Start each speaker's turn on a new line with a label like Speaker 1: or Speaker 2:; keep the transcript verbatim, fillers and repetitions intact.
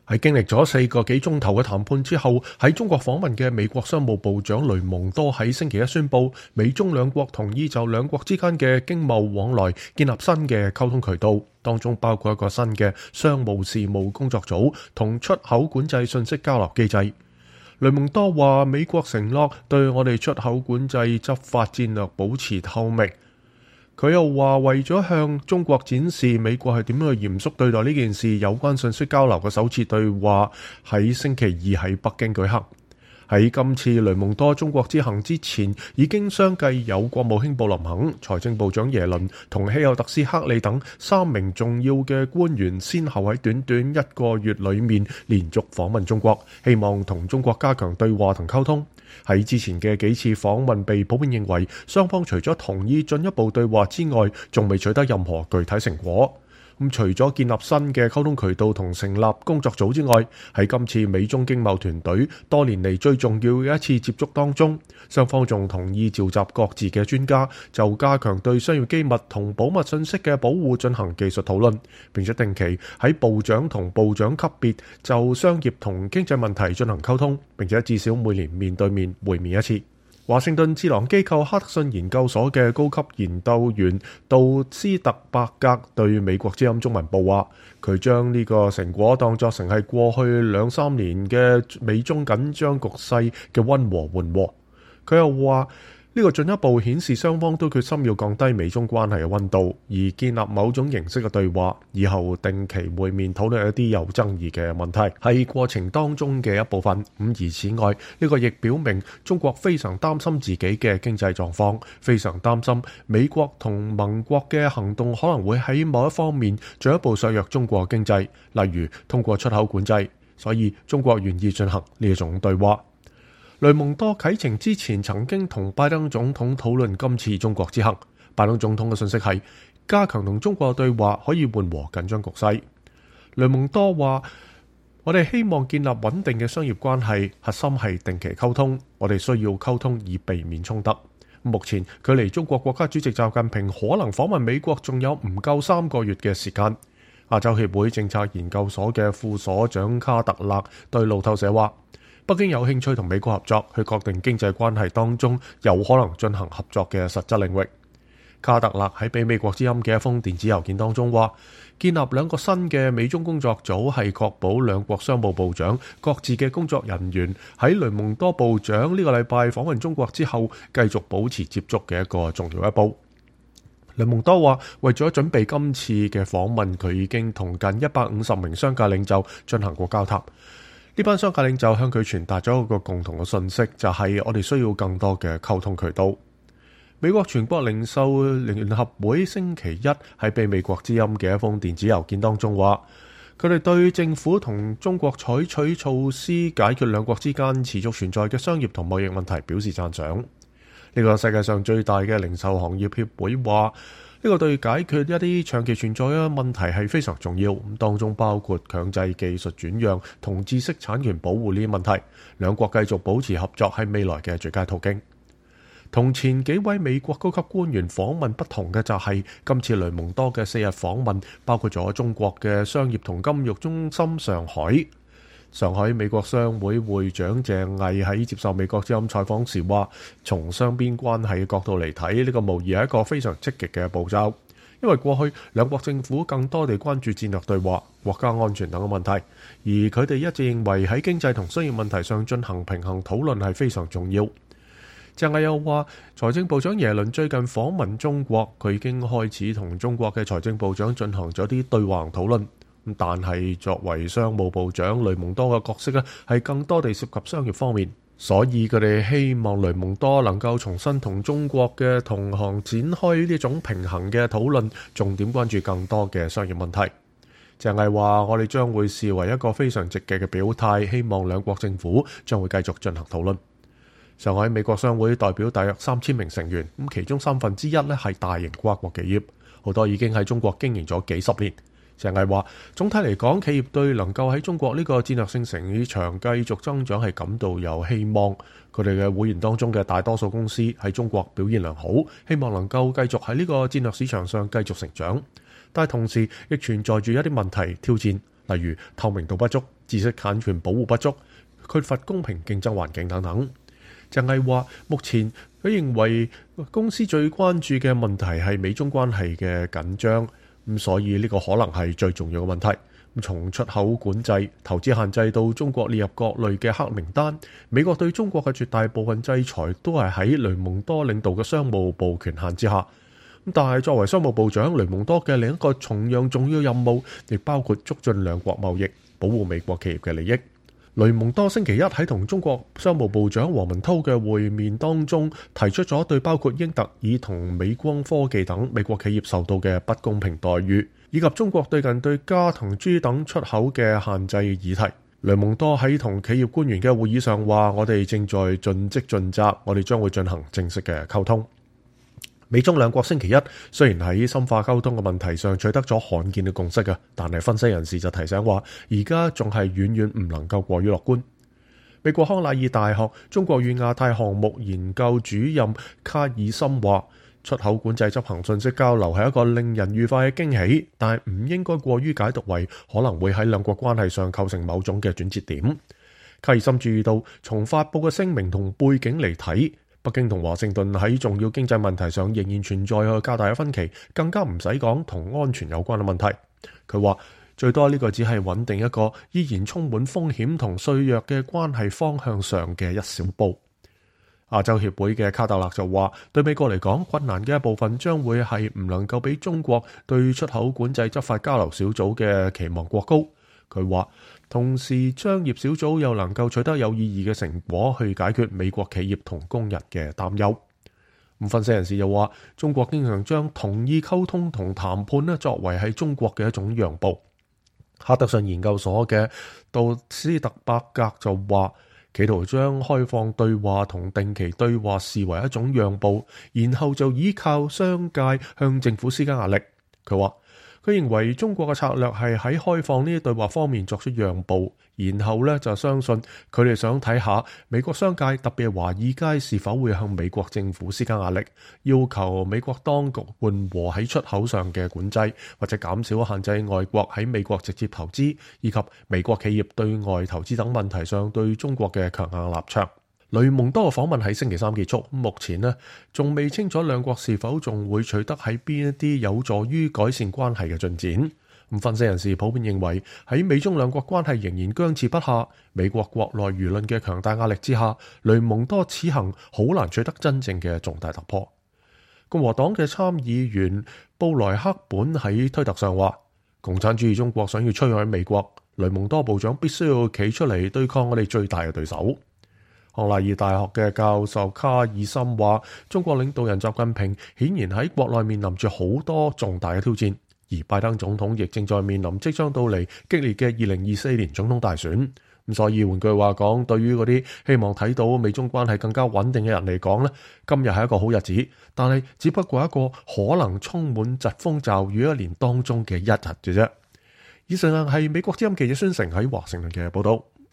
Speaker 1: 喺經歷咗四個幾鐘頭嘅談判之後，喺中國訪問嘅美國商務部長雷蒙多喺星期一宣布，美中兩國同意就兩國之間嘅經貿往來建立新嘅溝通渠道，當中包括一個新嘅商務事務工作組同出口管制信息交流機制。雷蒙多話：美國承諾對我哋出口管制執法戰略保持透明。佢又話，為咗向中國展示美國係點樣去嚴肅對待呢件事，有關信息交流嘅首次對話喺星期二喺北京舉行。喺今次雷蒙多中國之行之前，已經相繼有國務卿布林肯、財政部長耶倫同希奧特斯克里等三名重要嘅官員，先後喺短短一個月裏面連續訪問中國，希望同中國加強對話同溝通。喺之前嘅幾次訪問被普遍認為，雙方除咗同意進一步對話之外，仲未取得任何具體成果。咁除咗建立新嘅溝通渠道同成立工作組之外，喺今次美中經貿團隊多年嚟最重要嘅一次接觸當中，雙方仲同意召集各自嘅專家，就加強對商業機密同保密信息嘅保護進行技術討論，並且定期喺部長同部長級別就商業同經濟問題進行溝通，並且至少每年面對面會面一次。華盛頓智囊機構哈德遜研究所嘅高級研究員杜斯特伯格對美國之音中文報話，佢將呢個成果當作成係過去兩三年嘅美中緊張局勢嘅溫和緩和。佢又話，呢個進一步顯示雙方都決心要降低美中關係嘅溫度，而建立某種形式嘅對話，以後定期會面討論一啲有爭議嘅問題，係過程當中嘅一部分。咁而此外，呢個亦表明中國非常擔心自己嘅經濟狀況，非常擔心美國同盟國嘅行動可能會喺某一方面進一步削弱中國經濟，例如通過出口管制。所以中國願意進行呢一種對話。雷蒙多啟程之前曾經同拜登總統討論今次中國之行。拜登總統嘅信息係加強同中國對話可以緩和緊張局勢。雷蒙多話：我哋希望建立穩定嘅商業關係，核心係定期溝通。我哋需要溝通以避免衝突。目前距離中國國家主席習近平可能訪問美國仲有唔夠三個月嘅時間。亞洲協會政策研究所嘅副所長卡特勒對路透社話：北京有興趣同美國合作，去確定經濟關係當中有可能進行合作嘅實質領域。卡特勒喺俾美國之音嘅一封電子郵件當中話，建立兩個新嘅美中工作組係確保兩國商務部長各自嘅工作人員喺雷蒙多部長呢個禮拜訪問中國之後繼續保持接觸嘅一個重要一步。雷蒙多話，為咗準備今次嘅訪問，佢已經同近一百五十名商界領袖進行過交談。呢班商界領袖向佢傳達咗一個共同嘅信息，就係、是、我哋需要更多嘅溝通渠道。美國全國零售聯合會星期一喺被美國之音嘅一封電子郵件當中話，佢哋對政府同中國採取措施解決兩國之間持續存在嘅商業同貿易問題表示讚賞。呢、這個世界上最大嘅零售行業協會話，呢個對解決一啲長期存在嘅問題係非常重要，咁當中包括強制技術轉讓同知識產權保護呢啲問題。兩國繼續保持合作係未來嘅最佳途徑。同前幾位美國高級官員訪問不同嘅就係，今次雷蒙多嘅四日訪問包括咗中國嘅商業同金融中心上海。上海美國商會會長鄭毅喺接受美國之音採訪時話，從雙邊關係嘅角度嚟睇，呢個無疑係一個非常積極嘅步驟，因為過去兩國政府更多地關注戰略對話、國家安全等嘅問題，而佢哋一直認為喺經濟同商業問題上進行平衡討論係非常重要。鄭毅又話，財政部長耶倫最近訪問中國，佢已經開始同中國嘅財政部長進行咗啲對話討論。但係作為商務部長，雷蒙多嘅角色咧係更多地涉及商業方面，所以佢哋希望雷蒙多能夠重新同中國嘅同行展開呢種平衡嘅討論，重點關注更多嘅商業問題。鄭毅話：我哋將會視為一個非常積極嘅表態，希望兩國政府將會繼續進行討論。上海美國商會代表大約三千名成員，咁其中三分之一咧係大型跨國企業，好多已經喺中國經營咗幾十年。鄭毅話：總體嚟講，企業對能夠喺中國呢個戰略性市場繼續增長係感到有希望。佢哋嘅會員當中嘅大多數公司喺中國表現良好，希望能夠繼續喺呢個戰略市場上繼續成長。但係同時亦存在住一啲問題挑戰，例如透明度不足、知識產權保護不足、缺乏公平競爭環境等等。鄭毅話：目前佢認為公司最關注嘅問題係美中關係嘅緊張，咁所以呢個可能係最重要嘅問題。咁從出口管制、投資限制到中國列入各類嘅黑名單，美國對中國嘅絕大部分制裁都係喺雷蒙多領導嘅商務部權限之下。但係作為商務部長，雷蒙多嘅另一個同樣重要任務，亦包括促進兩國貿易，保護美國企業嘅利益。雷蒙多星期一喺同中國商務部長王文濤嘅會面當中，提出咗對包括英特爾同美光科技等美國企業受到嘅不公平待遇，以及中國最近對鎵同鍺等出口嘅限制議題。雷蒙多喺同企業官員嘅會議上話：我哋正在盡職盡責，我哋將會進行正式嘅溝通。美中兩國星期一雖然喺深化溝通嘅問題上取得咗罕見嘅共識嘅，但係分析人士就提醒話，而家仲係遠遠唔能夠過於樂觀。美國康乃爾大學中國與亞太項目研究主任卡爾森話：出口管制執行信息交流係一個令人愉快嘅驚喜，但係唔應該過於解讀為可能會喺兩國關係上構成某種嘅轉折點。卡爾森注意到，從發佈嘅聲明同背景嚟睇，北京同華盛頓喺重要經濟問題上仍然存在有較大嘅分歧，更加唔使講同安全有關嘅問題。佢話最多呢個只係穩定一個依然充滿風險同脆弱嘅關係方向上嘅一小步。亞洲協會嘅卡特勒就話，對美國嚟講，困難嘅一部分將會係唔能夠俾中國對出口管制執法交流小組嘅期望過高。佢話同時商業小組又能夠取得有意義嘅成果，去解決美國企業同工人嘅擔憂。咁分析人士又話，中國經常將同意溝通同談判咧作為係中國嘅一種讓步。哈德遜研究所嘅杜斯特伯格就話，企圖將開放對話同定期對話視為一種讓步，然後就依靠商界向政府施加壓力。佢話佢認為中國嘅策略係喺開放呢啲對話方面作出讓步，然後咧就相信佢哋想睇下美國商界特別係華爾街是否會向美國政府施加壓力，要求美國當局緩和喺出口上嘅管制，或者減少限制外國喺美國直接投資，以及美國企業對外投資等問題上對中國嘅強硬立場。雷蒙多嘅訪問喺星期三結束，目前呢仲未清楚兩國是否仲會取得喺邊一啲有助於改善關係嘅進展。咁分析人士普遍認為，喺美中兩國關係仍然僵持不下，美國國內輿論嘅強大壓力之下，雷蒙多此行好難取得真正嘅重大突破。共和黨嘅參議員布萊克本喺推特上話：共產主義中國想要摧毀美國，雷蒙多部長必須要企出嚟對抗我哋最大嘅對手。康乃爾大學嘅教授卡爾森話：中國領導人習近平顯然喺國內面臨住好多重大嘅挑戰，而拜登總統亦正在面臨即將到嚟激烈嘅二零二四年總統大選。咁所以換句話講，對於嗰啲希望睇到美中關係更加穩定嘅人嚟講呢，今日係一個好日子，但係只不過一個可能充滿疾風驟雨一年當中嘅一日嘅啫。以上係美國之音記者孫成喺華盛頓嘅報道。